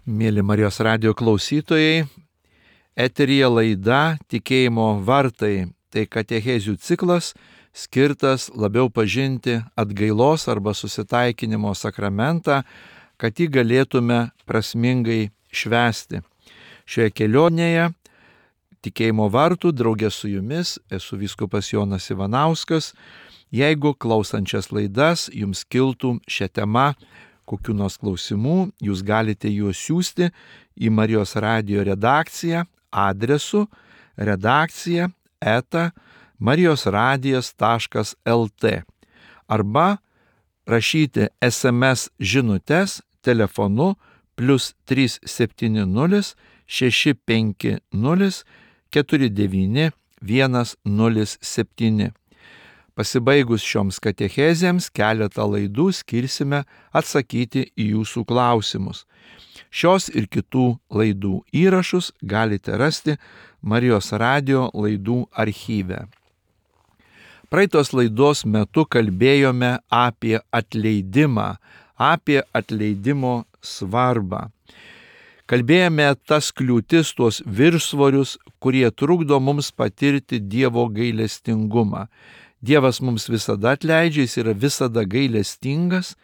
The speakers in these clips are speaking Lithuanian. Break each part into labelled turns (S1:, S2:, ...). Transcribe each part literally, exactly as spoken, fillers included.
S1: Mėly Marijos radijo klausytojai, eteryje laida Tikėjimo vartai. Tai katechezių ciklas skirtas labiau pažinti atgailos arba susitaikinimo sakramentą, kad jį galėtume prasmingai švęsti. Šioje kelionėje Tikėjimo vartų draugė su jumis esu vyskupas Jonas Ivanauskas. Jeigu klausančias laidas jums kiltų šią temą kokių nors klausimų, jūs galite juos siųsti į Marijos radijo redakciją adresu redakcija eta marijosradijas taškas lt arba rašyti es em es žinutes telefonu plius trys septyni nulis šeši penki nulis keturi devyni vienas nulis septyni. Pasibaigus šioms katechezėms keletą laidų skirsime atsakyti į jūsų klausimus. Šios ir kitų laidų įrašus galite rasti Marijos radijo laidų archyve. Praeitos laidos metu kalbėjome apie atleidimą, apie atleidimo svarbą. Kalbėjome tas kliūtis, tuos viršsvorius, kurie trukdo mums patirti Dievo gailestingumą. Dievas mums visada atleidžia, jis yra visada gailestingas,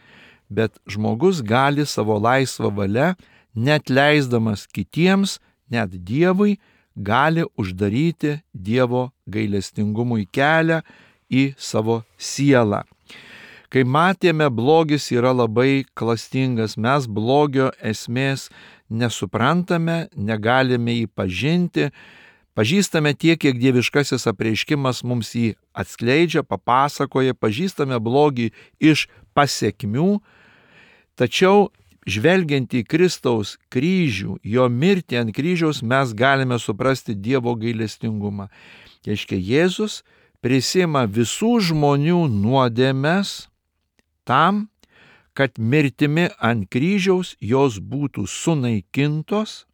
S1: bet žmogus gali savo laisvą valią, net leisdamas kitiems, net Dievui, gali uždaryti Dievo gailestingumui kelią į savo sielą. Kai matėme, blogis yra labai klastingas, mes blogio esmės nesuprantame, negalime jį pažinti, pažįstame tiek, kiek dieviškasis apreiškimas mums jį atskleidžia, papasakoja, pažįstame blogį iš pasekmių, tačiau žvelgiant į Kristaus kryžių, jo mirtį ant kryžiaus, mes galime suprasti Dievo gailestingumą. Reiškia, Jėzus prisima visų žmonių nuodėmes tam, kad mirtimi ant kryžiaus jos būtų sunaikintos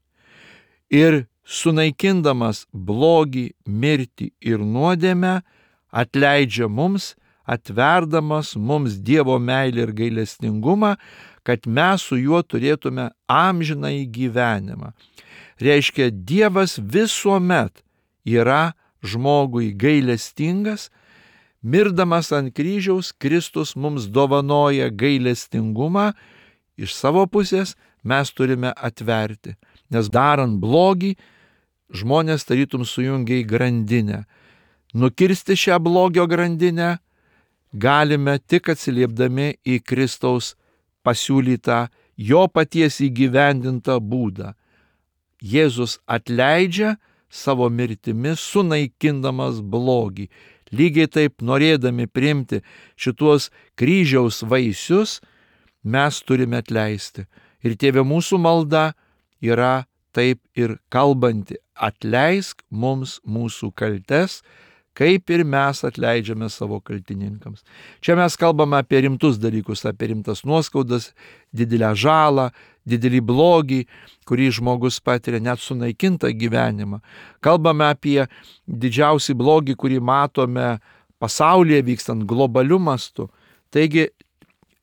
S1: ir sunaikindamas blogį, mirtį ir nuodėmę, atleidžia mums, atverdamas mums Dievo meilę ir gailestingumą, kad mes su juo turėtume amžinąjį gyvenimą. Reiškia, Dievas visuomet yra žmogui gailestingas, mirdamas ant kryžiaus, Kristus mums dovanoja gailestingumą, iš savo pusės mes turime atverti, nes darant blogį, žmonės tarytum sujungia į grandinę. Nukirsti šią blogio grandinę galime tik atsiliepdami į Kristaus pasiūlytą, jo paties įgyvendintą būdą. Jėzus atleidžia savo mirtimi, sunaikindamas blogį. Lygiai taip, norėdami priimti šituos kryžiaus vaisius, mes turime atleisti. Ir Tėve, mūsų malda yra taip ir kalbanti: atleisk mums mūsų kaltes, kaip ir mes atleidžiame savo kaltininkams. Čia mes kalbame apie rimtus dalykus, apie rimtas nuoskaudas, didelę žalą, didelį blogį, kurį žmogus patiria, net sunaikintą gyvenimą. Kalbame apie didžiausią blogį, kurį matome pasaulyje vykstant globaliu mastu. Taigi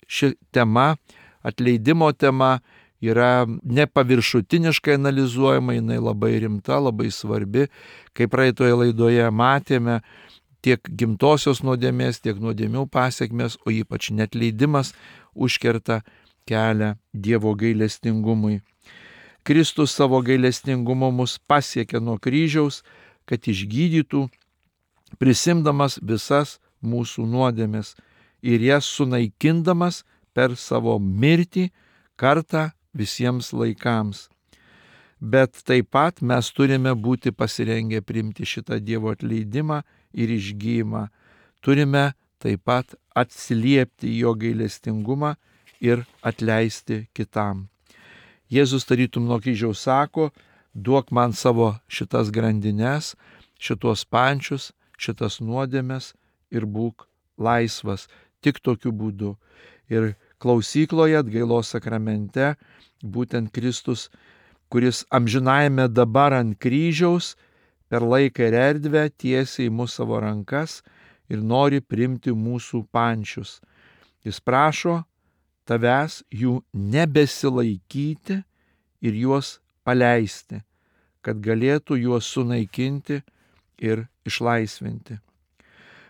S1: ši tema, atleidimo tema, yra nepaviršutiniškai analizuojama, jinai labai rimta, labai svarbi. Kaip praeitoje laidoje matėme, tiek gimtosios nuodėmės, tiek nuodėmių pasiekmes, o ypač neatleidimas užkerta kelią Dievo gailestingumui. Kristus savo gailestingumu mus pasiekė nuo kryžiaus, kad išgydytų, prisimdamas visas mūsų nuodėmės ir jas sunaikindamas per savo mirtį kartą visiems laikams. Bet taip pat mes turime būti pasirengę priimti šitą Dievo atleidimą ir išgijimą. Turime taip pat atsiliepti jo gailestingumą ir atleisti kitam. Jėzus tarytum nuo kryžiaus sako: duok man savo šitas grandines, šitos pančius, šitas nuodėmes ir būk laisvas. Tik tokiu būdu. Ir klausykloje atgailos sakramente būtent Kristus, kuris amžinajame dabar ant kryžiaus per laiką ir erdvę tiesia į mūsų savo rankas ir nori priimti mūsų pančius. Jis prašo tavęs jų nebesilaikyti ir juos paleisti, kad galėtų juos sunaikinti ir išlaisvinti.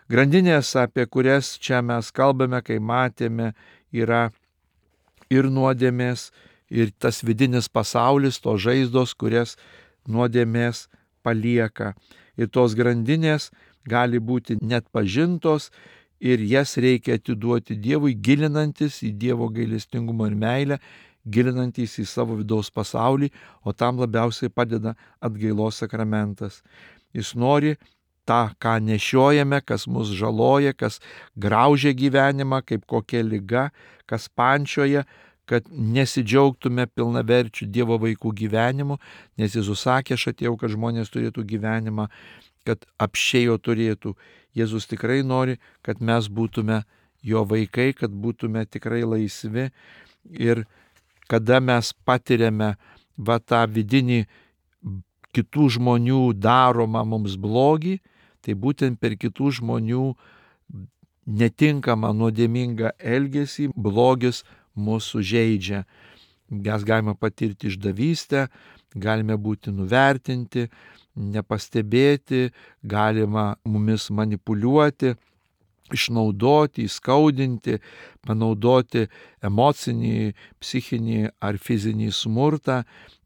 S1: Grandinės, apie kurias čia mes kalbame, kai matėme, yra ir nuodėmės, ir tas vidinis pasaulis, tos žaizdos, kurias nuodėmės palieka. Ir tos grandinės gali būti net pažintos ir jas reikia atiduoti Dievui, gilinantis į Dievo gailestingumą ir meilę, gilinantis į savo vidaus pasaulį, o tam labiausiai padeda atgailos sakramentas. Jis nori tą, ką nešiojame, kas mus žaloja, kas graužia gyvenimą, kaip kokia liga, kas pančioja, kad nesidžiaugtume pilnaverčių Dievo vaikų gyvenimu, nes Jėzus sakė, aš atėjau, kad žmonės turėtų gyvenimą, kad apsčiai jo turėtų. Jėzus tikrai nori, kad mes būtume jo vaikai, kad būtume tikrai laisvi. Ir kada mes patiriame va tą vidinį kitų žmonių daromą mums blogį, tai būtent per kitų žmonių netinkamą nuodėmingą elgesį blogis mūsų žeidžia. Mes galime patirti išdavystę, galime būti nuvertinti, nepastebėti, galima mumis manipuliuoti, išnaudoti, įskaudinti, panaudoti emocinį, psichinį ar fizinį smurtą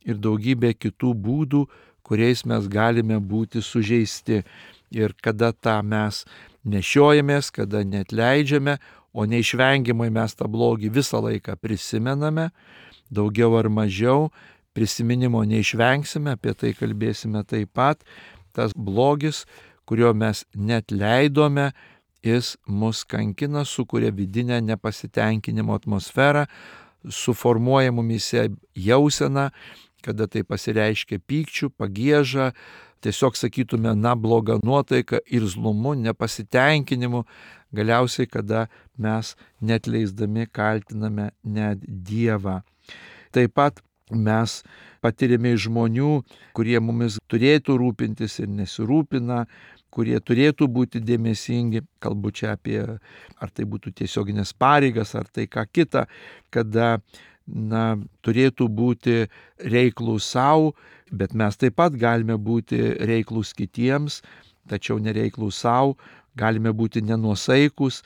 S1: ir daugybę kitų būdų, kuriais mes galime būti sužeisti. Ir kada tą mes nešiojamės, kada neatleidžiame, o neišvengiamai mes tą blogį visą laiką prisimename, daugiau ar mažiau, prisiminimo neišvengsime, apie tai kalbėsime taip pat. Tas blogis, kurio mes neatleidome, jis mus kankina, sukuria vidinę nepasitenkinimo atmosferą, suformuoja mumise jauseną, kada tai pasireiškia pykčiu, pagieža, tiesiog sakytume, na, bloga nuotaika, irzlumu, nepasitenkinimu, galiausiai, kada mes neatleisdami kaltiname net Dievą. Taip pat mes patiriame iš žmonių, kurie mumis turėtų rūpintis ir nesirūpina, kurie turėtų būti dėmesingi, kalbu čia apie, ar tai būtų tiesioginės pareigas, ar tai ką kita, kada na, turėtų būti reiklūs savo, bet mes taip pat galime būti reiklūs kitiems, tačiau nereiklūs savo, galime būti nenuosaikus,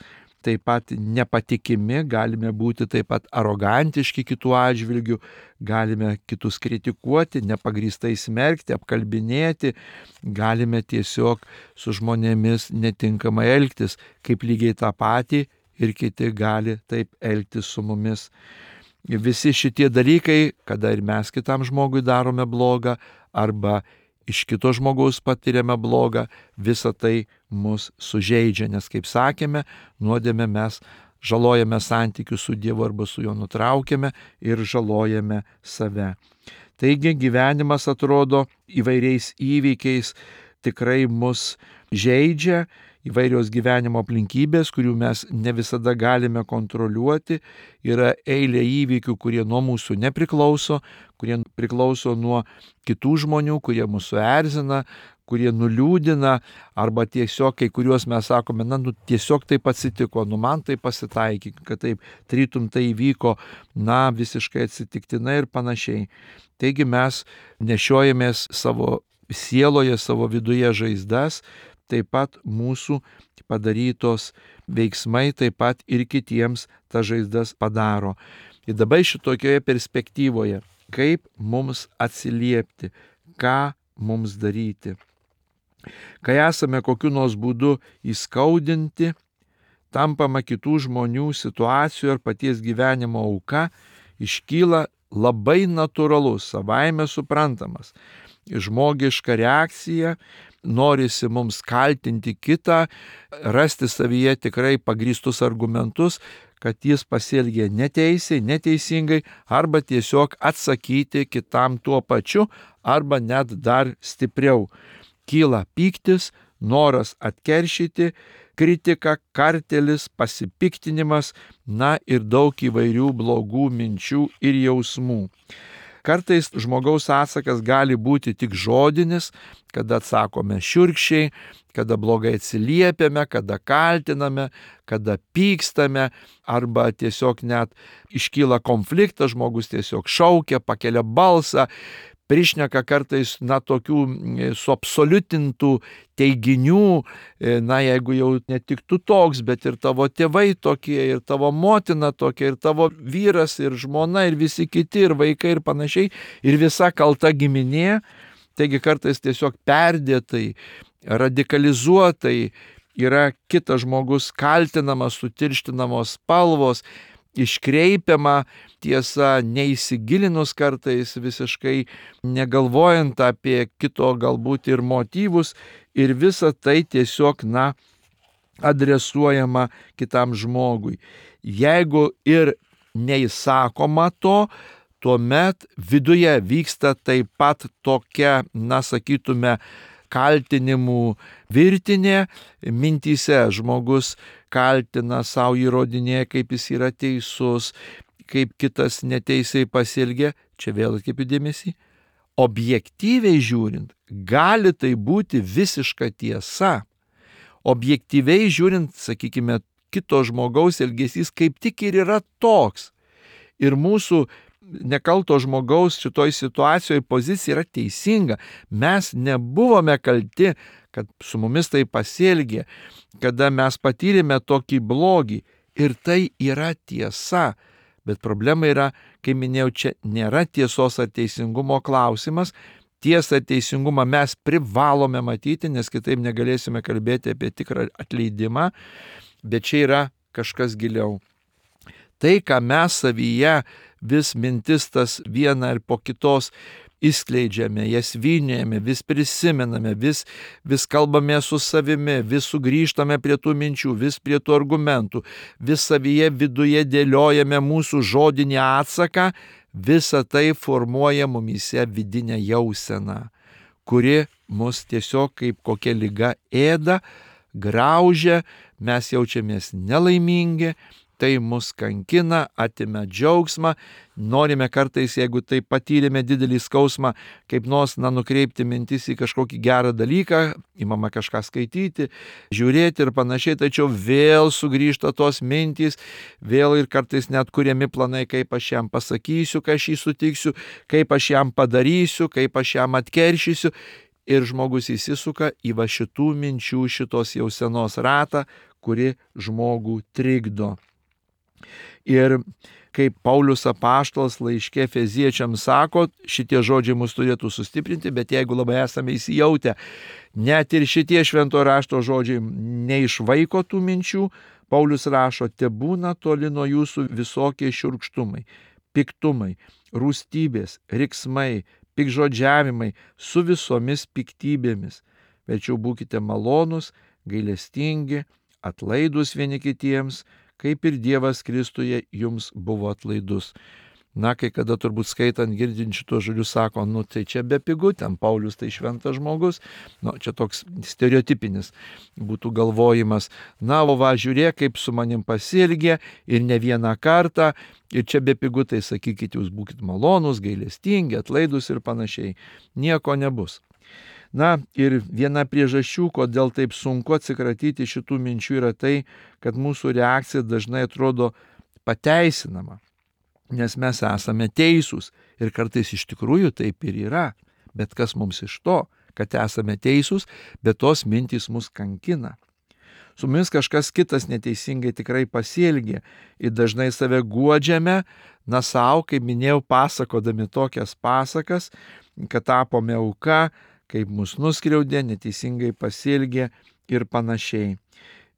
S1: taip pat nepatikimi, galime būti taip pat arogantiški kitų atžvilgių, galime kitus kritikuoti, nepagrįstai smerkti, apkalbinėti, galime tiesiog su žmonėmis netinkamai elgtis, kaip lygiai tą patį ir kiti gali taip elgtis su mumis. Visi šitie dalykai, kada ir mes kitam žmogui darome blogą, arba iš kito žmogaus patiriame blogą, visa tai mus sužeidžia, nes, kaip sakėme, nuodėme mes žalojame santykius su Dievu arba su juo nutraukiame ir žalojame save. Taigi gyvenimas atrodo įvairiais įvykiais tikrai mus žeidžia, įvairios gyvenimo aplinkybės, kurių mes ne visada galime kontroliuoti, yra eilė įvykių, kurie nuo mūsų nepriklauso, kurie priklauso nuo kitų žmonių, kurie mūsų erzina, kurie nuliūdina, arba tiesiog kai kuriuos mes sakome, na, nu, tiesiog taip atsitiko, nu, man tai pasitaikė, kad taip trytum tai įvyko, na, visiškai atsitiktinai ir panašiai. Taigi mes nešiojamės savo sieloje, savo viduje žaizdas, taip pat mūsų padarytos veiksmai taip pat ir kitiems ta žaizdas padaro. Ir dabar šitokioje perspektyvoje, kaip mums atsiliepti, ką mums daryti. Kai esame kokiu nors būdu įskaudinti, tampama kitų žmonių situacijų ar paties gyvenimo auka, iškyla labai natūralus, savaime suprantamas žmogiška reakcija, norisi mums kaltinti kitą, rasti savyje tikrai pagrįstus argumentus, kad jis pasielgė neteisiai, neteisingai, arba tiesiog atsakyti kitam tuo pačiu, arba net dar stipriau. Kyla pyktis, noras atkeršyti, kritika, kartelis, pasipiktinimas, na ir daug įvairių blogų minčių ir jausmų. Kartais žmogaus atsakas gali būti tik žodinis, kada atsakome šiurkščiai, kada blogai atsiliepiame, kada kaltiname, kada pykstame, arba tiesiog net iškyla konfliktas, žmogus tiesiog šaukia, pakelia balsą, prišneka kartais, na, tokių suabsoliutintų teiginių, na, jeigu jau ne tik tu toks, bet ir tavo tėvai tokie, ir tavo motina tokia, ir tavo vyras, ir žmona, ir visi kiti, ir vaikai, ir panašiai, ir visa kalta giminė. Taigi kartais tiesiog perdėtai, radikalizuotai yra kitas žmogus kaltinamas, sutirštinamos spalvos, iškreipiama tiesa, neįsigilinus kartais, visiškai negalvojant apie kito galbūt ir motyvus, ir visa tai tiesiog, na, adresuojama kitam žmogui. Jeigu ir neįsakoma to, tuomet viduje vyksta taip pat tokia, na, sakytume, kaltinimų virtinė, mintyse žmogus kaltina, savo įrodinėja, kaip jis yra teisus, kaip kitas neteisiai pasielgia. Čia vėl atkreipiu dėmesį. Objektyviai žiūrint, gali tai būti visiška tiesa. Objektyviai žiūrint, sakykime, kito žmogaus elgesys kaip tik ir yra toks. Ir mūsų nekalto žmogaus šitoj situacijoje pozicija yra teisinga. Mes nebuvome kalti, kad su mumis tai pasielgė, kada mes patyrėme tokį blogį. Ir tai yra tiesa. Bet problema yra, kaip minėjau, čia nėra tiesos ar teisingumo klausimas. Tiesą ir teisingumą mes privalome matyti, nes kitaip negalėsime kalbėti apie tikrą atleidimą. Bet čia yra kažkas giliau. Tai, ką mes savyje vis mintis tas vieną ir po kitos išskleidžiame, jas vynėjame, vis prisimename, vis, vis kalbame su savimi, vis sugrįžtame prie tų minčių, vis prie tų argumentų, vis savyje viduje dėliojame mūsų žodinį atsaką, visa tai formuoja mumyse vidinę jauseną, kuri mus tiesiog kaip kokia liga ėda, graužia, mes jaučiamės nelaimingi, tai mus kankina, atima džiaugsmą, norime kartais, jeigu tai patyrėme didelį skausmą, kaip nors, na, nukreipti mintis į kažkokį gerą dalyką, imama kažką skaityti, žiūrėti ir panašiai, tačiau vėl sugrįžta tos mintys, vėl ir kartais net kuriami planai, kaip aš jam pasakysiu, kai aš jį sutiksiu, kaip aš jam padarysiu, kaip aš jam atkeršysiu. Ir žmogus įsisuka į va šitų minčių, šitos jausenos ratą, kuri žmogų trikdo. Ir kaip Paulius apaštalas laiške Efeziečiams sako, šitie žodžiai mus turėtų sustiprinti, bet jeigu labai esame įsijautę, net ir šitie švento rašto žodžiai neišvaiko tų minčių, Paulius rašo, tebūna toli nuo jūsų visokie šiurkštumai, piktumai, rūstybės, riksmai, pikžodžiavimai su visomis piktybėmis. Tačiau būkite malonūs, gailestingi, atlaidūs vieni kitiems, kaip ir Dievas Kristuje jums buvo atlaidus. Na, kai kada turbūt skaitant, girdint šitos žodžius sako, nu tai čia bepigu, ten Paulius tai šventas žmogus, nu čia toks stereotipinis būtų galvojimas. Na, o va, žiūrėk, kaip su manim pasielgė ir ne vieną kartą, ir čia bepigu, tai sakykit, jūs būkite malonūs, gailestingi, atlaidūs ir panašiai. Nieko nebus. Na ir viena priežasčių, kodėl taip sunku atsikratyti šitų minčių, yra tai, kad mūsų reakcija dažnai atrodo pateisinama, nes mes esame teisūs ir kartais iš tikrųjų taip ir yra. Bet kas mums iš to, kad esame teisūs, bet tos mintys mus kankina. Su mumis kažkas kitas neteisingai tikrai pasielgė ir dažnai save guodžiame, na savo, kaip minėjau, pasakodami tokias pasakas, kad tapome auka, kaip mus nuskriaudė, neteisingai pasielgė ir panašiai.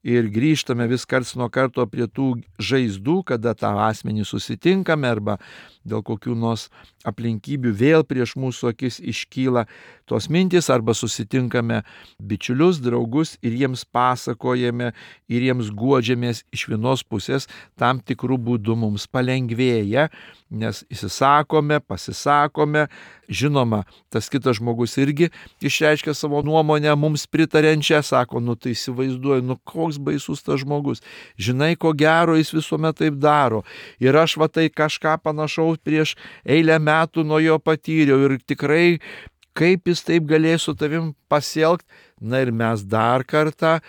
S1: Ir grįžtame vis karts nuo karto prie tų žaizdų, kada tą asmenį susitinkame arba dėl kokių nors aplinkybių vėl prieš mūsų akis iškyla tos mintys, arba susitinkame bičiulius, draugus ir jiems pasakojame ir jiems guodžiamės. Iš vienos pusės tam tikrų būdų mums palengvėja, nes įsisakome, pasisakome, žinoma, tas kitas žmogus irgi išreiškia savo nuomonę mums pritarenčią, sako, nu tai įsivaizduoju, nu ko koks baisus tas žmogus. Žinai, ko gero jis visuomet taip daro. Ir aš va tai kažką panašaus prieš eilę metų nuo jo patyriau. Ir tikrai, kaip jis taip galės su tavim pasielgti. Na ir mes dar kartą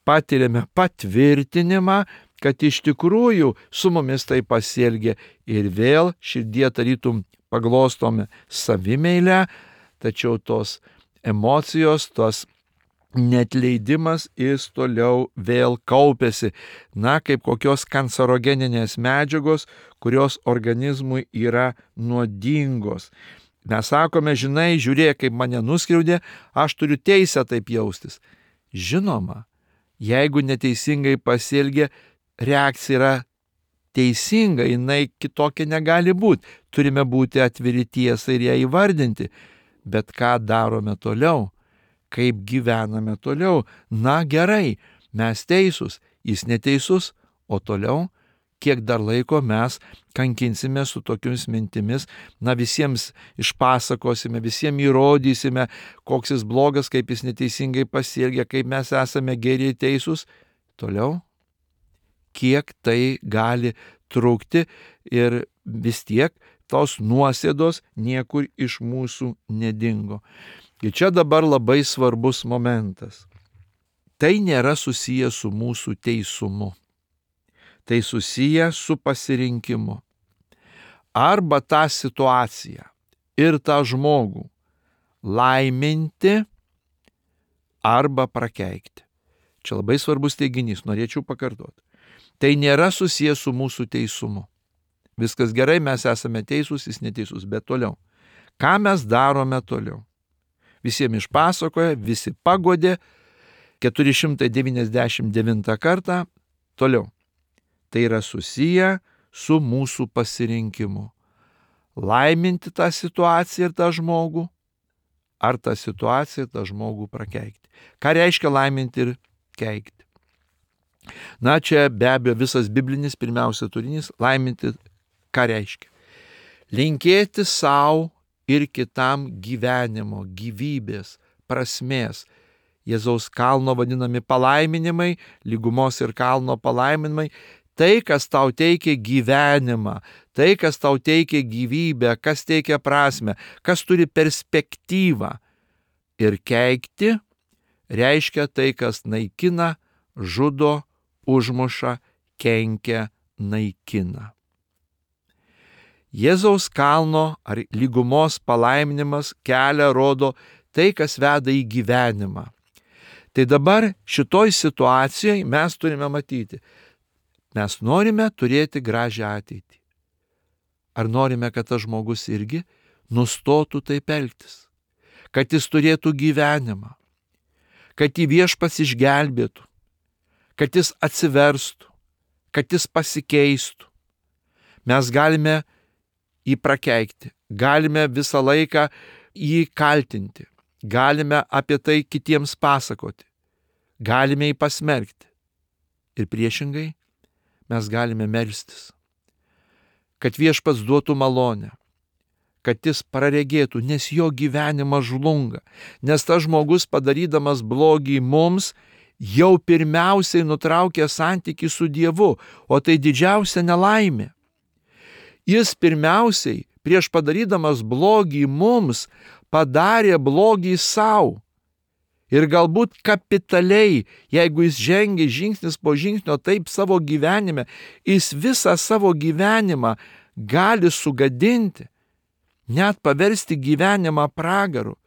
S1: patiriame patvirtinimą, kad iš tikrųjų su mumis tai pasielgė. Ir vėl širdie tarytum paglostome savimeilę, tačiau tos emocijos, tos neatleidimas jis toliau vėl kaupėsi. Na, kaip kokios kancerogeninės medžiagos, kurios organizmui yra nuodingos. Mes sakome, žinai, žiūrėk, kaip mane nuskriaudė, aš turiu teisę taip jaustis. Žinoma, jeigu neteisingai pasielgė, reakcija yra teisinga, jinai kitokia negali būti. Turime būti atviri tiesai ir ją įvardinti. Bet ką darome toliau? Kaip gyvename toliau? Na gerai, mes teisūs, jis neteisus, o toliau, kiek dar laiko mes kankinsime su tokiomis mintimis, na visiems išpasakosime, visiems įrodysime, koks jis blogas, kaip jis neteisingai pasielgia, kaip mes esame geri teisūs. Toliau, kiek tai gali trukti ir vis tiek tos nuosėdos niekur iš mūsų nedingo. Ir čia dabar labai svarbus momentas. Tai nėra susiję su mūsų teisumu. Tai susiję su pasirinkimu. Arba tą situaciją ir tą žmogų laiminti arba prakeikti. Čia labai svarbus teiginys, norėčiau pakartoti. Tai nėra susiję su mūsų teisumu. Viskas gerai, mes esame teisūs, jis neteisus, bet toliau. Ką mes darome toliau? Visiems išpasakoja, visi pagodė, keturi šimtai devyniasdešimt devintą kartą, toliau. Tai yra susiję su mūsų pasirinkimu. Laiminti tą situaciją ir tą žmogų, ar tą situaciją ir tą žmogų prakeikti. Ką reiškia laiminti ir keikti? Na, čia be abejo visas biblinis pirmiausia turinys, laiminti ką reiškia? Linkėti savo ir kitam gyvenimo, gyvybės, prasmės. Jėzaus kalno vadinami palaiminimai, lygumos ir kalno palaiminimai. Tai, kas tau teikia gyvenimą, tai, kas tau teikia gyvybę, kas teikia prasmę, kas turi perspektyvą. Ir keikti reiškia tai, kas naikina, žudo, užmuša, kenkia, naikina. Jėzaus kalno ar lygumos palaiminimas kelią rodo tai, kas veda į gyvenimą. Tai dabar šitoj situacijoje mes turime matyti, mes norime turėti gražią ateitį. Ar norime, kad tas žmogus irgi nustotų taip elgtis, kad jis turėtų gyvenimą, kad jį Viešpats išgelbėtų, kad jis atsiverstų, kad jis pasikeistų. Mes galime jį prakeikti, galime visą laiką jį kaltinti, galime apie tai kitiems pasakoti, galime jį pasmerkti. Ir priešingai mes galime melstis, kad Viešpats duotų malonę, kad jis praregėtų, nes jo gyvenimas žlunga, nes tas žmogus padarydamas blogį mums jau pirmiausiai nutraukė santykį su Dievu, o tai didžiausia nelaimė. Jis pirmiausiai, prieš padarydamas blogį mums, padarė blogį savo. Ir galbūt kapitaliai, jeigu jis žengia žingsnis po žingsnio taip savo gyvenime, jis visą savo gyvenimą gali sugadinti, net paversti gyvenimą pragaru.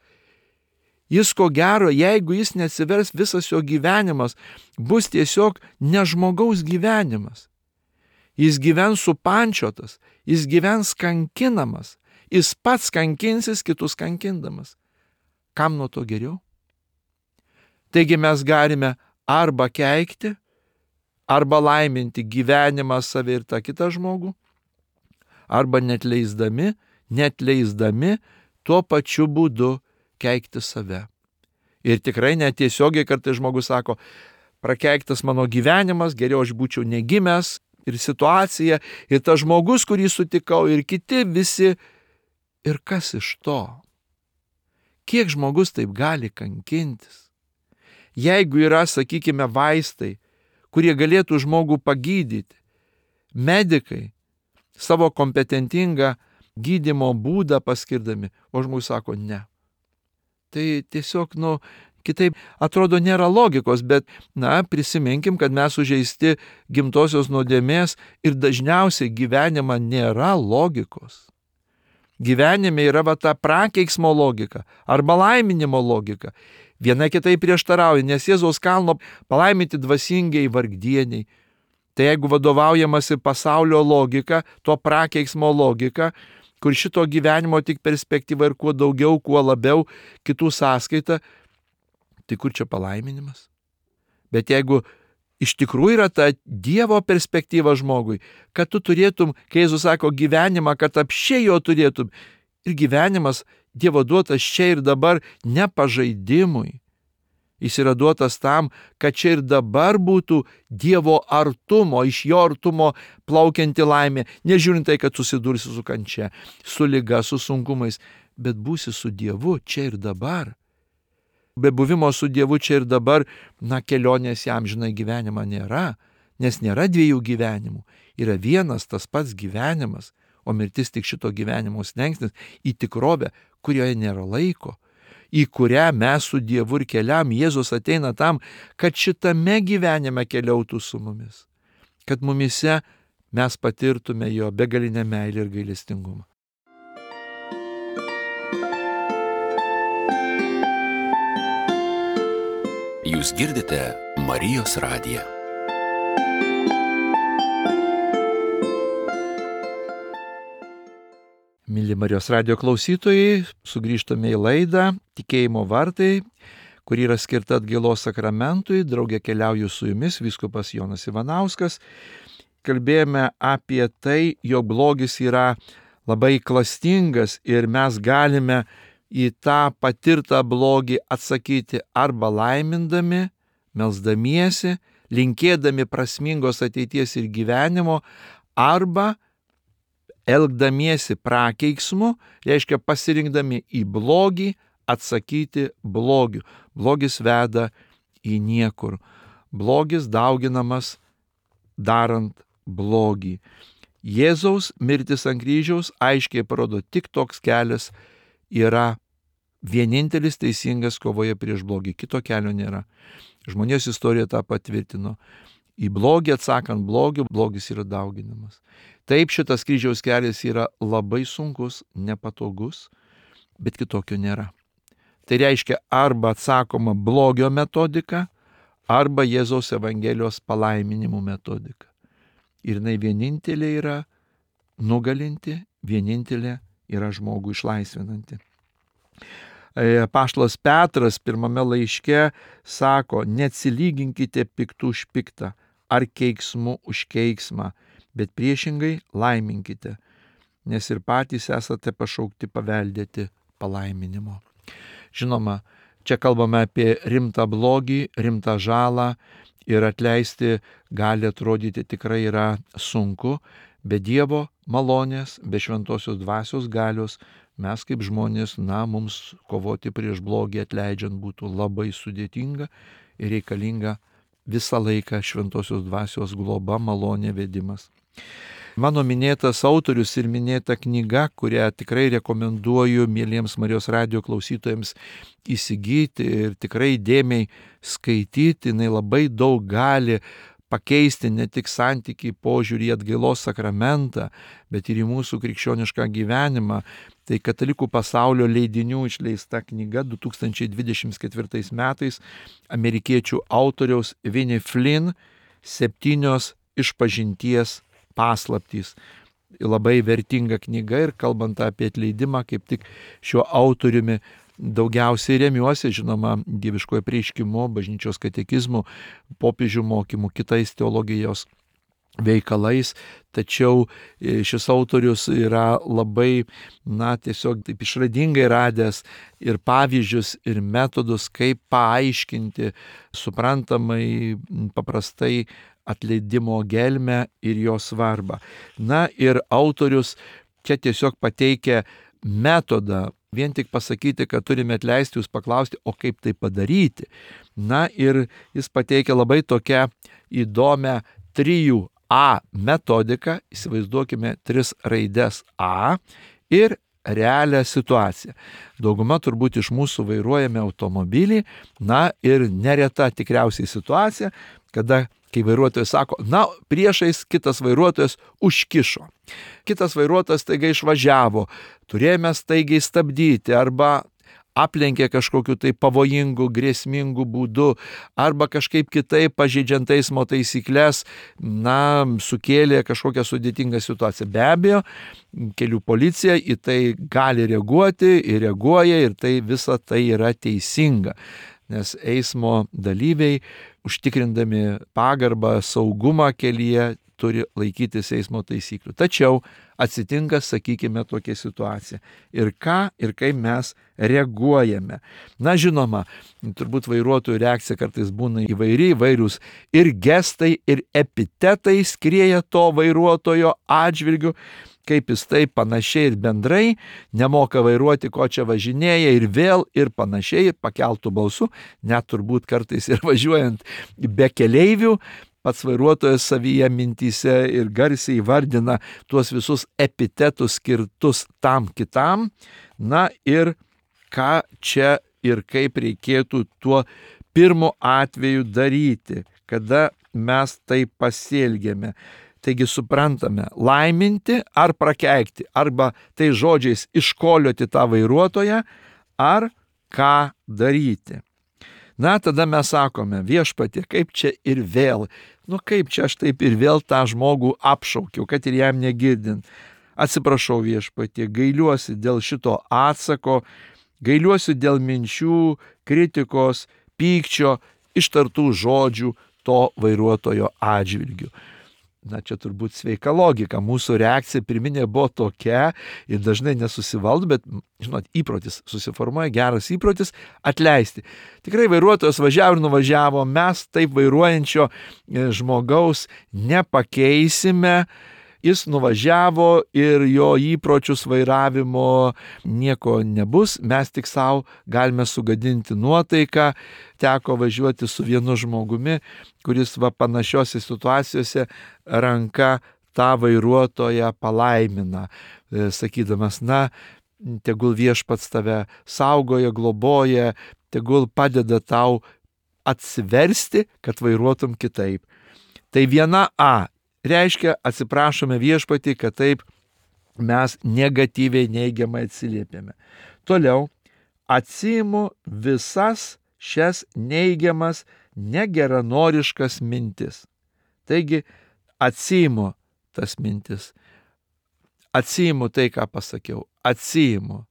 S1: Jis ko gero, jeigu jis neatsivers, visas jo gyvenimas bus tiesiog ne žmogaus gyvenimas. Jis gyvens supančiotas, jis gyvens kankinamas, jis pats kankinsis kitus kankindamas. Kam nuo to geriau? Taigi mes galime arba keikti, arba laiminti gyvenimą save ir tą kitą žmogų, arba netleisdami, netleisdami tuo pačiu būdu keikti save. Ir tikrai netiesiogiai kartais žmogus sako, prakeiktas mano gyvenimas, geriau aš būčiau negimęs, ir situacija, ir tas žmogus, kurį sutikau, ir kiti visi. Ir kas iš to? Kiek žmogus taip gali kankintis? Jeigu yra, sakykime, vaistai, kurie galėtų žmogų pagydyti. Medikai savo kompetentingą gydymo būdą paskirdami, o žmogus sako ne. Tai tiesiog, nu, kitaip atrodo nėra logikos, bet, na, prisiminkim, kad mes sužeisti gimtosios nuodėmės ir dažniausiai gyvenime nėra logikos. Gyvenime yra va ta prakeiksmo logika arba laiminimo logika. Viena kitai prieštarauja, nes Jėzaus kalno palaiminti dvasingiai vargdieniai. Tai jeigu vadovaujamasi pasaulio logika, to prakeiksmo logika, kur šito gyvenimo tik perspektyva ir kuo daugiau, kuo labiau kitų sąskaita, tai kur čia palaiminimas? Bet jeigu iš tikrųjų yra ta Dievo perspektyva žmogui, kad tu turėtum, kai Jėzus sako gyvenimą, kad apšiai jo turėtum, ir gyvenimas Dievo duotas čia ir dabar ne pažaidimui. Jis yra duotas tam, kad čia ir dabar būtų Dievo artumo, iš jo artumo plaukianti laimė, nežiūrint tai, kad susidursi su kančia, su liga, su sunkumais, bet būsi su Dievu čia ir dabar. Be buvimo su Dievu čia ir dabar, na, kelionės į amžiną gyvenimą nėra, nes nėra dviejų gyvenimų, yra vienas tas pats gyvenimas, o mirtis tik šito gyvenimo slengsnis į tikrovę, kurioje nėra laiko, į kurią mes su Dievu ir keliam. Jėzus ateina tam, kad šitame gyvenime keliautų su mumis, kad mumise mes patirtume jo begalinę meilę ir gailestingumą.
S2: Jūs girdite Marijos radiją.
S1: Mėly Marijos radijo klausytojai, sugrįžtame į laidą Tikėjimo vartai, kuri yra skirta atgailos sakramentui. Drauge keliauju su jumis, vyskupas Jonas Ivanauskas. Kalbėjome apie tai, jog blogis yra labai klastingas ir mes galime į tą patirtą blogį atsakyti arba laimindami, melsdamiesi, linkėdami prasmingos ateities ir gyvenimo, arba elgdamiesi prakeiksmu, reiškia pasirinkdami į blogį, atsakyti blogiu. Blogis veda į niekur. Blogis dauginamas darant blogį. Jėzaus mirtis ant kryžiaus aiškiai parodo, tik toks kelias yra vienintelis teisingas kovoje prieš blogį. Kito kelio nėra. Žmonijos istorija tą patvirtino. Į blogį atsakant blogį, blogis yra dauginamas. Taip, šitas kryžiaus kelias yra labai sunkus, nepatogus, bet kitokio nėra. Tai reiškia arba atsakoma blogio metodika, arba Jėzaus Evangelijos palaiminimų metodika. Ir jinai vienintelė yra nugalinti, vienintelė yra žmogų išlaisvinanti. Apaštalas Petras pirmame laiške sako, neatsilyginkite piktų už piktą ar keiksmu už keiksmą, bet priešingai laiminkite, nes ir patys esate pašaukti paveldėti palaiminimo. Žinoma, čia kalbame apie rimtą blogį, rimtą žalą ir atleisti gali atrodyti tikrai yra sunku, be Dievo malonės, be šventosios dvasios galios mes kaip žmonės, na, mums kovoti prieš blogį atleidžiant būtų labai sudėtinga ir reikalinga visą laiką šventosios dvasios globa, malonė, vedimas. Mano minėtas autorius ir minėta knyga, kurią tikrai rekomenduoju mieliems Marijos radijo klausytojams įsigyti ir tikrai dėmiai skaityti, jinai labai daug gali pakeisti ne tik santykį, požiūrį į atgailos sakramentą, bet ir į mūsų krikščionišką gyvenimą. Tai Katalikų pasaulio leidinių išleista knyga du tūkstančiai dvidešimt ketvirtais metais amerikiečių autoriaus Vinnie Flynn septynios išpažinties paslaptys. Labai vertinga knyga ir kalbant apie atleidimą, kaip tik šiuo autoriumi daugiausiai remiuosi, žinoma, dieviškojo apreiškimu, bažnyčios katekizmu, popiežių mokymu, kitais teologijos veikalais, tačiau šis autorius yra labai, na, tiesiog taip išradingai radęs ir pavyzdžius, ir metodus, kaip paaiškinti suprantamai, paprastai atleidimo gelmę ir jo svarbą. Na ir autorius čia tiesiog pateikia metodą. Vien tik pasakyti, kad turime atleisti, jūs paklausti, o kaip tai padaryti. Na ir jis pateikia labai tokią įdomią trijų A metodiką, įsivaizduokime tris raides A ir realią situaciją. Dauguma turbūt iš mūsų vairuojame automobilį, na ir nereta tikriausiai situacija, kada kai vairuotojas sako, na, priešais kitas vairuotojas užkišo. Kitas vairuotojas staiga išvažiavo, turėjome staigiai stabdyti arba aplenkė kažkokiu tai pavojingu, grėsmingu būdu arba kažkaip kitaip pažeidžiant eismo taisyklės, na, sukėlė kažkokią sudėtingą situaciją. Be abejo, kelių policija į tai gali reaguoti ir reaguoja ir tai visa tai yra teisinga. Nes eismo dalyviai, užtikrindami pagarbą, saugumą kelyje, turi laikytis eismo taisyklių. Tačiau atsitinka, sakykime, tokia situacija. Ir ką ir kaip mes reaguojame. Na, žinoma, turbūt vairuotojų reakcija kartais būna įvairi, įvairius ir gestai, ir epitetai skrieja to vairuotojo atžvilgiu, kaip jis taip panašiai ir bendrai, nemoka vairuoti, ko čia važinėja ir vėl ir panašiai, ir pakeltų balsų, net turbūt kartais ir važiuojant be keleivių, pats vairuotojas savyje mintyse ir garsiai vardina tuos visus epitetus skirtus tam kitam, na ir ką čia ir kaip reikėtų tuo pirmu atveju daryti, kada mes taip pasielgėme. Taigi suprantame, laiminti ar prakeikti, arba tai žodžiais iškolioti tą vairuotoją, ar ką daryti. Na, tada mes sakome, viešpatie, kaip čia ir vėl, nu kaip čia aš taip ir vėl tą žmogų apšaukiau, kad ir jam negirdint. Atsiprašau viešpatie, gailiuosi dėl šito atsako, gailiuosi dėl minčių, kritikos, pykčio, ištartų žodžių to vairuotojo atžvilgiu. Na, čia turbūt sveika logika. Mūsų reakcija pirminė buvo tokia ir dažnai nesusivaldo, bet, žinot, įprotis susiformuoja, geras įprotis atleisti. Tikrai vairuotojas važiavo ir nuvažiavo, mes taip vairuojančio žmogaus nepakeisime. Jis nuvažiavo ir jo įpročius vairavimo nieko nebus, mes tik savo galime sugadinti nuotaiką. Teko važiuoti su vienu žmogumi, kuris va panašiose situacijose ranka tą vairuotoją palaimina, sakydamas, na, tegul viešpats tave saugoja, globoja, tegul padeda tau atsiversti, kad vairuotum kitaip. Tai viena A. Reiškia, atsiprašome viešpatį, kad taip mes negatyviai neigiamai atsiliepėme. Toliau, atsiimu visas šias neigiamas, negeranoriškas mintis. Taigi, atsiimu tas mintis. Atsiimu tai, ką pasakiau. Atsiimu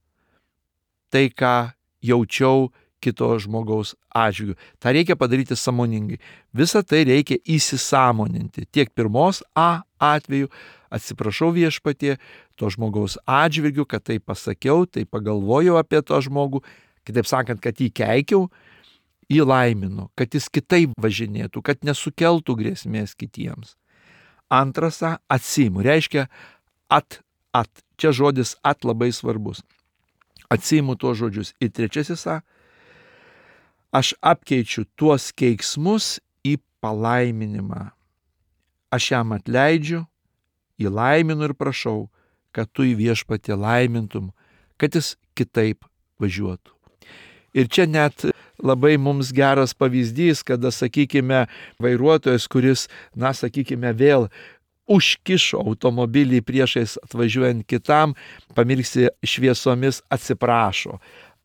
S1: tai, ką jaučiau kito žmogaus atžvilgiu. Ta reikia padaryti sąmoningai. Visą tai reikia įsisąmoninti. Tiek pirmos A atveju, atsiprašau viešpatie, to žmogaus atžvilgiu, kad tai pasakiau, tai pagalvojau apie to žmogų, kitaip sakant, kad jį keikiau, jį laiminu, kad jis kitaip važinėtų, kad nesukeltų grėsmės kitiems. Antras A, atsiimu, reiškia at, at. Čia žodis at labai svarbus. Atsiimu tuos žodžius. Ir trečiasis A, aš apkeičiu tuos keiksmus į palaiminimą. Aš jam atleidžiu, įlaiminu ir prašau, kad tu į viešpatį laimintum, kad jis kitaip važiuotų. Ir čia net labai mums geras pavyzdys, kada, sakykime, vairuotojas, kuris, na, sakykime, vėl užkišo automobilį priešais atvažiuojant kitam, pamirksi šviesomis atsiprašo.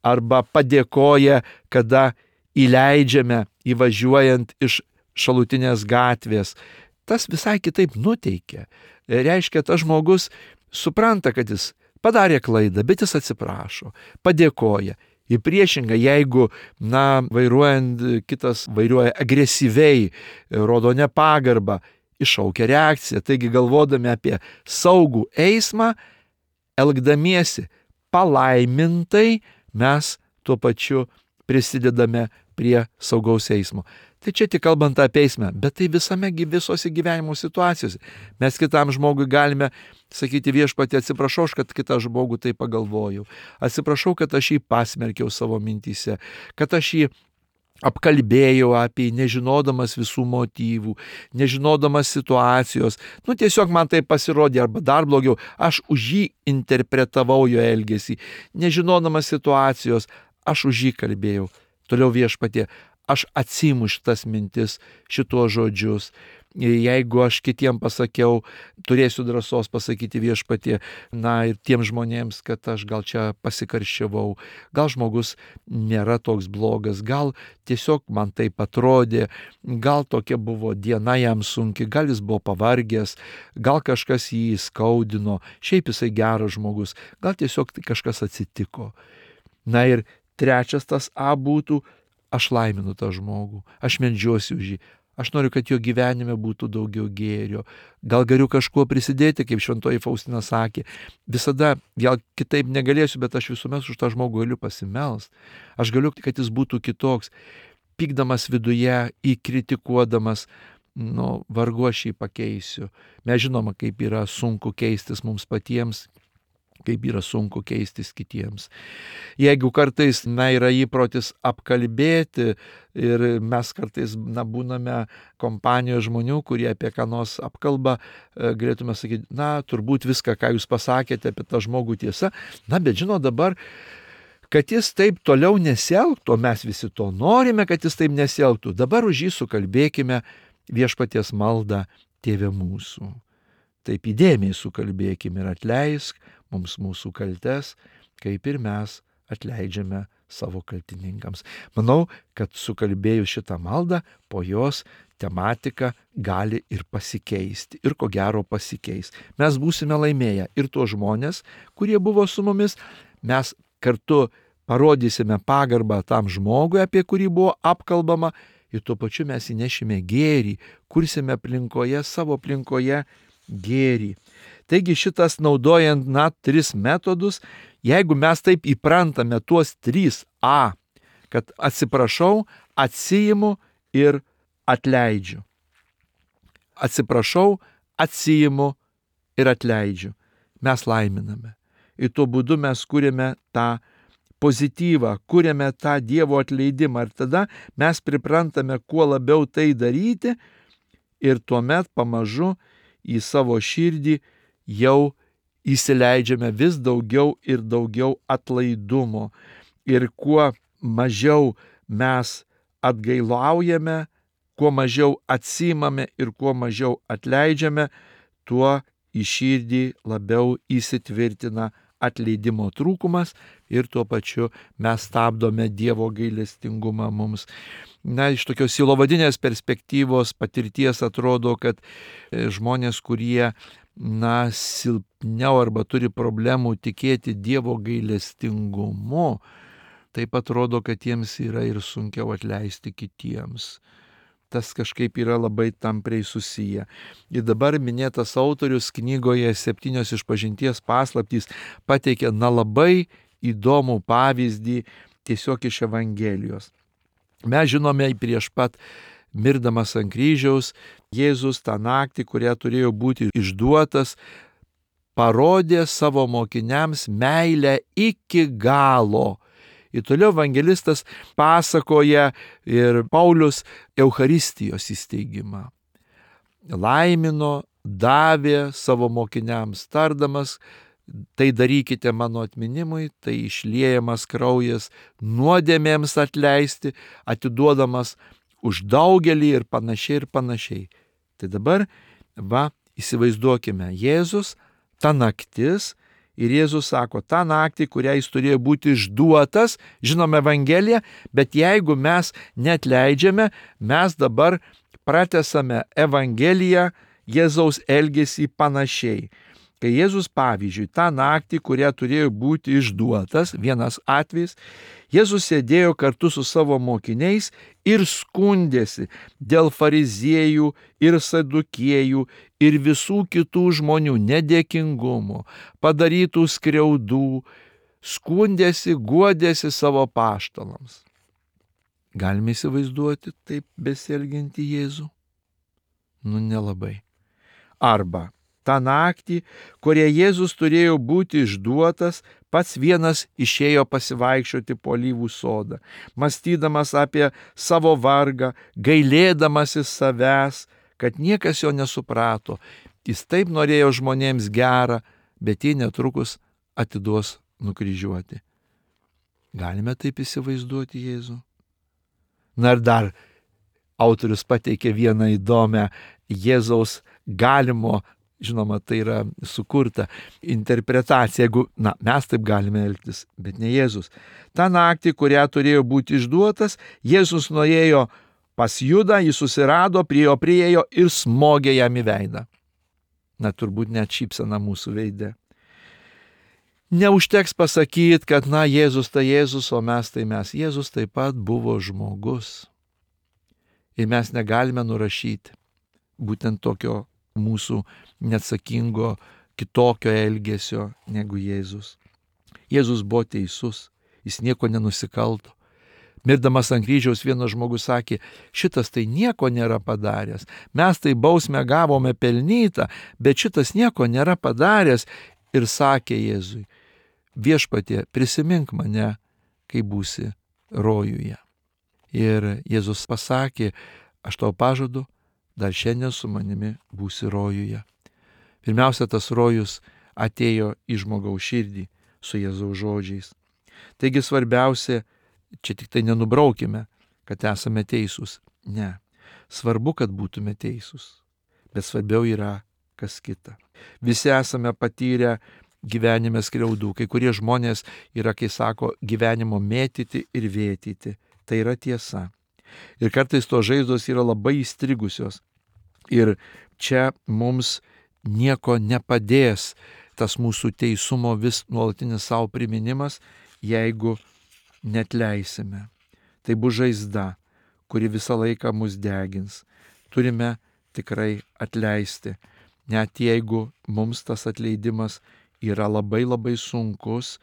S1: Arba padėkoja, kada įleidžiame įvažiuojant iš šalutinės gatvės. Tas visai kitaip nuteikia. Reiškia, tas žmogus supranta, kad jis padarė klaidą, bet jis atsiprašo, padėkoja. Į priešingą, jeigu, na, vairuojant kitas vairuoja agresyviai, rodo nepagarbą, iššaukia reakciją. Taigi galvodami apie saugų eismą, elgdamiesi palaimintai, mes tuo pačiu prisidedame prie saugaus eismo. Tai čia tik kalbant apie eismę, bet tai visame visose gyvenimo situacijose. Mes kitam žmogui galime sakyti viešpatie, atsiprašau, kad kitą žmogų tai pagalvojau. Atsiprašau, kad aš jį pasmerkiau savo mintyse, kad aš jį apkalbėjau apie jį, nežinodamas visų motyvų, nežinodamas situacijos. Nu tiesiog man tai pasirodė, arba dar blogiau, aš už jį interpretavau jo elgesį, nežinodamas situacijos, aš už jį kalbėjau. Toliau viešpatie, aš atsiimu šitas mintis, šitos žodžius. Jeigu aš kitiem pasakiau, turėsiu drąsos pasakyti viešpatie, na ir tiem žmonėms, kad aš gal čia pasikarščiavau, gal žmogus nėra toks blogas, gal tiesiog man taip atrodė, gal tokia buvo diena jam sunki, gal jis buvo pavargęs, gal kažkas jį skaudino, šiaip jisai geras žmogus, gal tiesiog kažkas atsitiko. Na ir trečias tas A būtų, aš laiminu tą žmogų, aš meldžiuosi už jį, aš noriu, kad jo gyvenime būtų daugiau gėrio, gal galiu kažkuo prisidėti, kaip šventoji Faustina sakė, visada, gal kitaip negalėsiu, bet aš visuomet už tą žmogų galiu pasimelst, aš galiu, kad jis būtų kitoks, pykdamas viduje, įkritikuodamas, nu, vargu aš jį pakeisiu. Mes žinoma, kaip yra sunku keistis mums patiems, kaip yra sunku keistis kitiems. Jeigu kartais, na, yra įprotis apkalbėti ir mes kartais, na, būname kompanijoje žmonių, kurie apie ką nors apkalba, galėtume sakyti, na, turbūt viską, ką jūs pasakėte apie tą žmogų tiesa, na, bet žino dabar, kad jis taip toliau nesielgtų, mes visi to norime, kad jis taip nesielgtų. Dabar už jį sukalbėkime viešpaties maldą, Tėve mūsų. Taip įdėmiai sukalbėkime ir atleisk mums mūsų kaltes, kaip ir mes atleidžiame savo kaltininkams. Manau, kad sukalbėjus šitą maldą, po jos tematika gali ir pasikeisti. Ir ko gero pasikeis. Mes būsime laimėję ir tuos žmonės, kurie buvo su mumis, mes kartu parodysime pagarbą tam žmogui, apie kurį buvo apkalbama, ir tuo pačiu mes įnešime gėrį, kursime aplinkoje, savo aplinkoje gėrį. Taigi šitas naudojant, na, tris metodus, jeigu mes taip įprantame tuos trys A, kad atsiprašau, atsiimu ir atleidžiu. Atsiprašau, atsiimu ir atleidžiu. Mes laiminame. Ir tuo būdu mes kūrėme tą pozityvą, kūrėme tą Dievo atleidimą. Ir tada mes priprantame kuo labiau tai daryti ir tuomet pamažu į savo širdį jau įsileidžiame vis daugiau ir daugiau atlaidumo. Ir kuo mažiau mes atgailaujame, kuo mažiau atsiimame ir kuo mažiau atleidžiame, tuo į širdį labiau įsitvirtina atleidimo trūkumas ir tuo pačiu mes stabdome Dievo gailestingumą mums. Na, iš tokios silovadinės perspektyvos patirties atrodo, kad žmonės, kurie, na, silpniau arba turi problemų tikėti Dievo gailestingumu, taip atrodo, kad jiems yra ir sunkiau atleisti kitiems. Tas kažkaip yra labai tampriai susiję. Ir dabar minėtas autorius knygoje Septynios išpažinties paslaptys pateikia, na, labai įdomų pavyzdį tiesiog iš Evangelijos. Mes žinome, prieš pat mirdamas ant kryžiaus, Jėzus tą naktį, kurią turėjo būti išduotas, parodė savo mokiniams meilę iki galo. Ir toliau evangelistas pasakoja ir Paulius Eucharistijos įsteigimą. Laimino, davė savo mokiniams, tardamas, tai darykite mano atminimui, tai išliejamas kraujas nuodėmėms atleisti, atiduodamas už daugelį ir panašiai ir panašiai. Tai dabar, va, įsivaizduokime, Jėzus, ta naktis, ir Jėzus sako, tą naktį, kurią jis turėjo būti išduotas, žinome Evangeliją, bet jeigu mes neatleidžiame, mes dabar pratęsame Evangeliją, Jėzaus elgesį panašiai. Kai Jėzus, pavyzdžiui, tą naktį, kurią turėjo būti išduotas, vienas atvejis, Jėzus sėdėjo kartu su savo mokiniais ir skundėsi dėl fariziejų ir sadukiejų ir visų kitų žmonių nedėkingumo, padarytų skriaudų, skundėsi, guodėsi savo apaštalams. Galime įsivaizduoti taip besielgiantį Jėzų? Nu, nelabai. Arba tą naktį, kurie Jėzus turėjo būti išduotas, pats vienas išėjo pasivaikščioti po alyvų sodą, mąstydamas apie savo vargą, gailėdamasis savęs, kad niekas jo nesuprato. Jis taip norėjo žmonėms gerą, bet jie netrukus atiduos nukryžiuoti. Galime taip įsivaizduoti Jėzų? Na ir dar autorius pateikė vieną įdomią Jėzaus galimo, žinoma, tai yra sukurta interpretacija, jeigu, na, mes taip galime elgtis, bet ne Jėzus. Ta naktį, kurią turėjo būti išduotas, Jėzus nuėjo pas Judą, jį susirado, prie jo priėjo ir smogė jam į veidą. Na, turbūt net šypsena mūsų veide. Neužteks pasakyti, kad, na, Jėzus tai Jėzus, o mes tai mes. Jėzus taip pat buvo žmogus. Ir mes negalime nurašyti būtent tokio mūsų neatsakingo, kitokio elgesio negu Jėzus. Jėzus buvo teisus, jis nieko nenusikalto. Mirdamas ant kryžiaus vienas žmogus sakė, šitas tai nieko nėra padaręs, mes tai bausmę gavome pelnytą, bet šitas nieko nėra padaręs. Ir sakė Jėzui, viešpatie, prisimink mane, kai būsi rojuje. Ir Jėzus pasakė, aš tau pažadu, dar šiandien su manimi būsi rojuje. Pirmiausia, tas rojus atėjo į žmogaus širdį su Jėzaus žodžiais. Taigi svarbiausia, čia tik tai nenubraukime, kad esame teisūs. Ne, svarbu, kad būtume teisūs, bet svarbiau yra kas kita. Visi esame patyrę gyvenime skriaudų. Kai kurie žmonės yra, kai sako, gyvenimo mėtyti ir vėtyti. Tai yra tiesa. Ir kartais tos žaizdos yra labai įstrigusios. Ir čia mums nieko nepadės tas mūsų teisumo vis nuolatinis savo priminimas, jeigu netleisime. Tai bus žaizda, kuri visą laiką mus degins. Turime tikrai atleisti. Net jeigu mums tas atleidimas yra labai labai sunkus,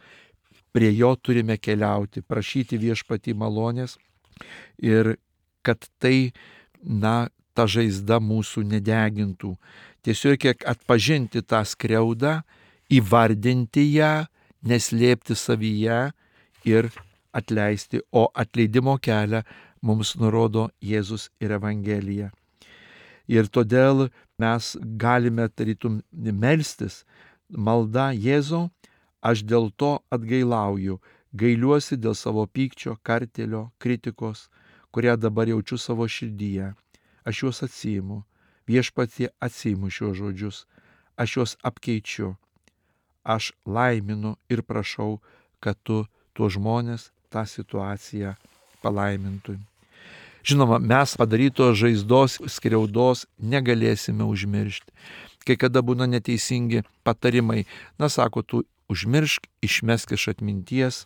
S1: prie jo turime keliauti, prašyti viešpatį malonės ir kad tai, na, ta žaizda mūsų nedegintų. Tiesiog kiek atpažinti tą skriaudą, įvardinti ją, neslėpti savyje ir atleisti, o atleidimo kelią mums nurodo Jėzus ir Evangelija. Ir todėl mes galime tarytum melstis, malda Jėzau, aš dėl to atgailauju, gailiuosi dėl savo pykčio, kartelio, kritikos, kurią dabar jaučiu savo širdyje. Aš juos atsiimu, viešpatie atsiimu šiuos žodžius, aš juos apkeičiu, aš laiminu ir prašau, kad tu tuos žmonės, tą situaciją palaimintum. Žinoma, mes padarytos žaizdos, skriaudos negalėsime užmiršti. Kai kada būna neteisingi patarimai, na, sako, tu užmiršk, išmesk iš atminties.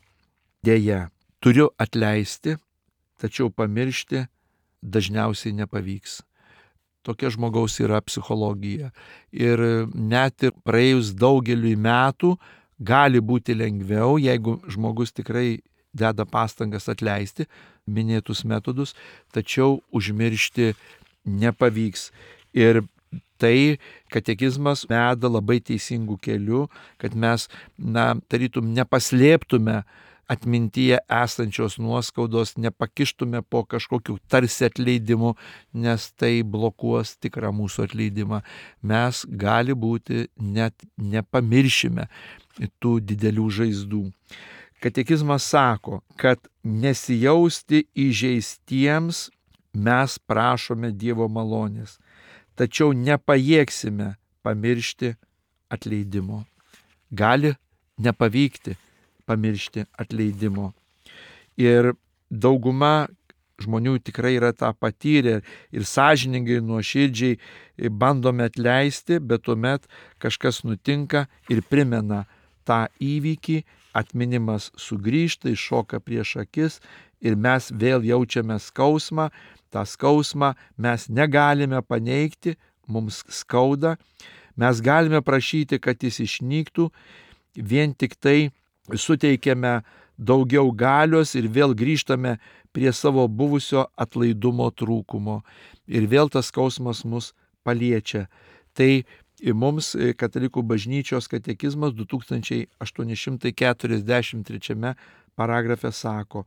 S1: Deja, turiu atleisti, tačiau pamiršti dažniausiai nepavyks. Tokia žmogaus yra psichologija. Ir net ir praėjus daugeliui metų gali būti lengviau, jeigu žmogus tikrai deda pastangas atleisti minėtus metodus, tačiau užmiršti nepavyks. Ir tai katekizmas veda labai teisingų kelių, kad mes, na, tarytum nepaslėptume atmintyje esančios nuoskaudos, nepakištume po kažkokiu tarsi atleidimu, nes tai blokuos tikrą mūsų atleidimą. Mes gali būti net nepamiršime tų didelių žaizdų. Katekizmas sako, kad nesijausti įžeistiems mes prašome Dievo malonės, tačiau nepajėgsime pamiršti atleidimo. Gali nepavykti pamiršti atleidimo. Ir dauguma žmonių tikrai yra tą patyrę ir sąžiningai, nuoširdžiai bandome atleisti, bet tuomet kažkas nutinka ir primena tą įvykį, atminimas sugrįžta, iššoka prieš akis ir mes vėl jaučiame skausmą. tą skausmą mes negalime paneigti, mums skauda, mes galime prašyti, kad jis išnyktų, vien tik tai suteikiame daugiau galios ir vėl grįžtame prie savo buvusio atlaidumo trūkumo. Ir vėl tas skausmas mus paliečia. Tai mums Katalikų bažnyčios katekizmas du tūkstančiai aštuoni šimtai keturiasdešimt trečiame paragrafe sako: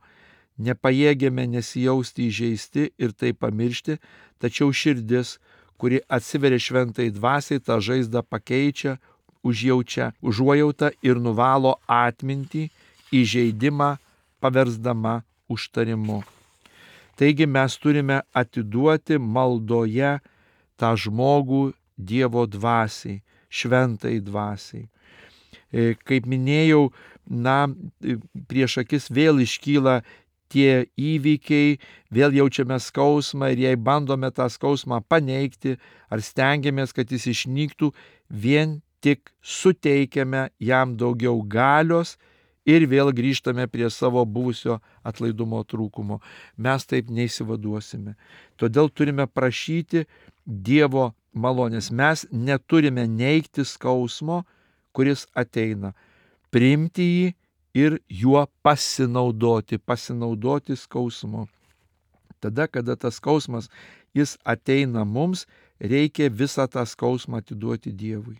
S1: nepajėgėme nesijausti įžeisti ir tai pamiršti, tačiau širdis, kuri atsiveria šventai dvasiai, tą žaizdą pakeičia, užjaučia užuojautą ir nuvalo atmintį, įžeidimą paversdama užtarimu. Taigi mes turime atiduoti maldoje tą žmogų Dievo dvasiai, šventai dvasiai. Kaip minėjau, na, prieš akis vėl iškyla tie įvykiai, vėl jaučiame skausmą ir jei bandome tą skausmą paneigti ar stengiamės, kad jis išnyktų, vien tik suteikiame jam daugiau galios ir vėl grįžtame prie savo buvusio atlaidumo trūkumo. Mes taip neįsivaduosime. Todėl turime prašyti Dievo malonės. Mes neturime neigti skausmo, kuris ateina. Priimti jį ir juo pasinaudoti, pasinaudoti skausmu. Tada, kada tas skausmas, jis ateina mums, reikia visą tą skausmą atiduoti Dievui.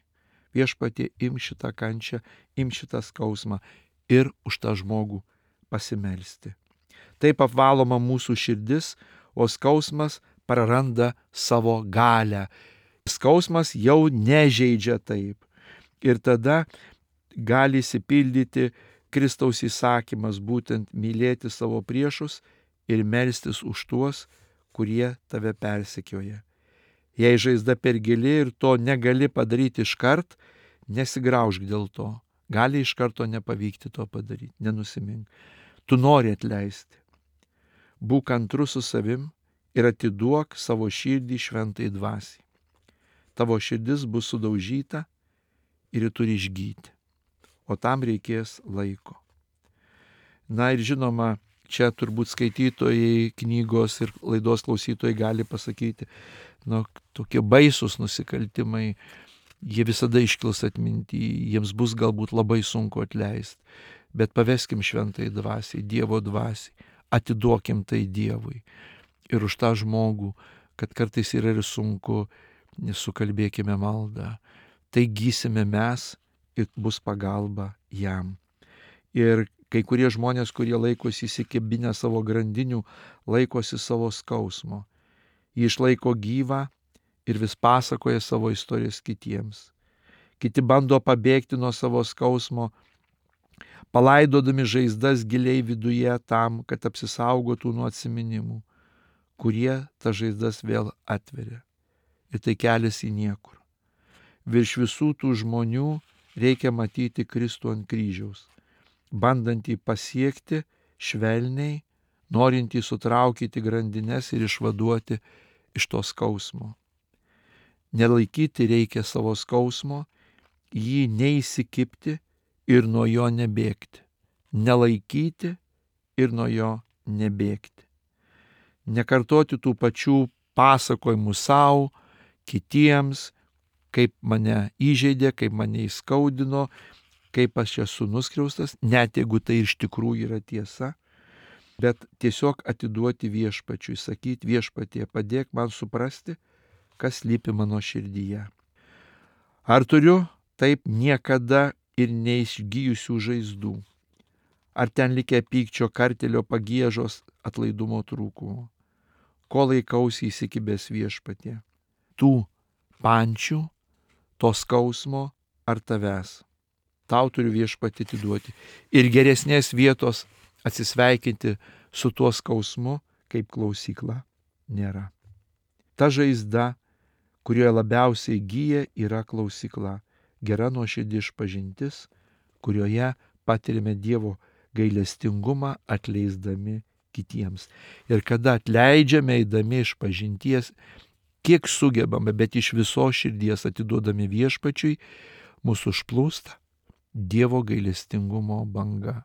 S1: Viešpatie, im šitą kančią, im šitą skausmą ir už tą žmogų pasimelsti. Taip apvaloma mūsų širdis, o skausmas praranda savo galią. Skausmas jau nežeidžia taip. Ir tada gali įsipildyti Kristaus įsakymas, būtent mylėti savo priešus ir melstis už tuos, kurie tave persekioja. Jei žaizda per gili ir to negali padaryti iškart, nesigraužk dėl to. Gali iš karto nepavykti to padaryti, nenusimink. Tu nori atleisti. Būk kantrus su savim ir atiduok savo širdį šventai dvasiai. Tavo širdis bus sudaužyta ir ji turi išgyti. O tam reikės laiko. Na ir žinoma, čia turbūt skaitytojai, knygos ir laidos klausytojai gali pasakyti, nu, tokie baisūs nusikaltimai, jie visada iškils atminty, jiems bus galbūt labai sunku atleisti. Bet paveskim šventai dvasiai, Dievo dvasiai, atiduokim tai Dievui. Ir už tą žmogų, kad kartais yra ir sunku, sukalbėkime maldą. Tai gysime mes ir bus pagalba jam. Ir kai kurie žmonės, kurie laikosi įsikibinę savo grandinių, laikosi savo skausmo. Jį išlaiko gyvą ir vis pasakoja savo istorijas kitiems. Kiti bando pabėgti nuo savo skausmo, palaidodami žaizdas giliai viduje tam, kad apsisaugotų nuo atsiminimų, kurie tas žaizdas vėl atveria. Ir tai kelias į niekur. Virš visų tų žmonių reikia matyti Kristų ant kryžiaus, bandantį pasiekti švelniai, norintį sutraukyti grandines ir išvaduoti iš to skausmo. Nelaikyti reikia savo skausmo, jį neįsikibti ir nuo jo nebėgti. Nelaikyti ir nuo jo nebėgti. Nekartoti tų pačių pasakojimų savo, kitiems, kaip mane įžeidė, kaip mane įskaudino, kaip aš esu nuskriaustas, net jeigu tai iš tikrųjų yra tiesa, bet tiesiog atiduoti viešpačiui, sakyti viešpatie, padėk man suprasti, kas slypi mano širdyje. Ar turiu taip niekada ir neišgijusių žaizdų? Ar ten likę pykčio, kartelio, pagiežos, atlaidumo trūkumo? Ko laikausi įsikibęs viešpatie? Tų pančių, to skausmo ar tavęs? Tau turiu viešpatį atiduoti. Ir geresnės vietos atsisveikinti su tuo skausmu, kaip klausykla, nėra. Ta žaizda, kurioje labiausiai gyja, yra klausykla. Gera nuoširdi išpažintis, kurioje patirime Dievo gailestingumą atleisdami kitiems. Ir kada atleidžiame eidami iš pažinties, kiek sugebame, bet iš visos širdies atiduodami viešpačiui, mūsų užplūsta Dievo gailestingumo banga,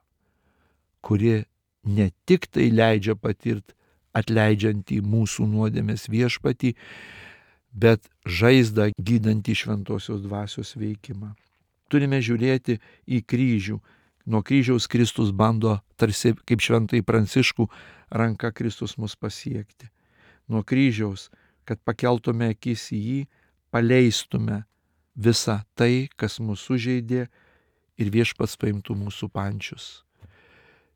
S1: kuri ne tik tai leidžia patirti atleidžiantį mūsų nuodėmės viešpatį, bet žaizdą gydantį šventosios dvasios veikimą. Turime žiūrėti į kryžių, Nuo kryžiaus Kristus bando, tarsi kaip šventai Pranciškų, ranka Kristus mus pasiekti. Nuo kryžiaus, kad pakeltume akis į jį, paleistume visą tai, kas mus sužeidė ir viešpats paimtų mūsų pančius.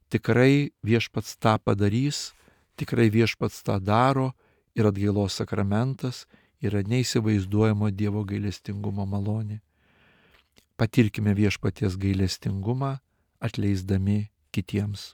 S1: Tikrai viešpats tą padarys, tikrai viešpats tą daro ir atgailos sakramentas yra neįsivaizduojamo Dievo gailestingumo malonė. Patirkime viešpaties gailestingumą, atleisdami kitiems.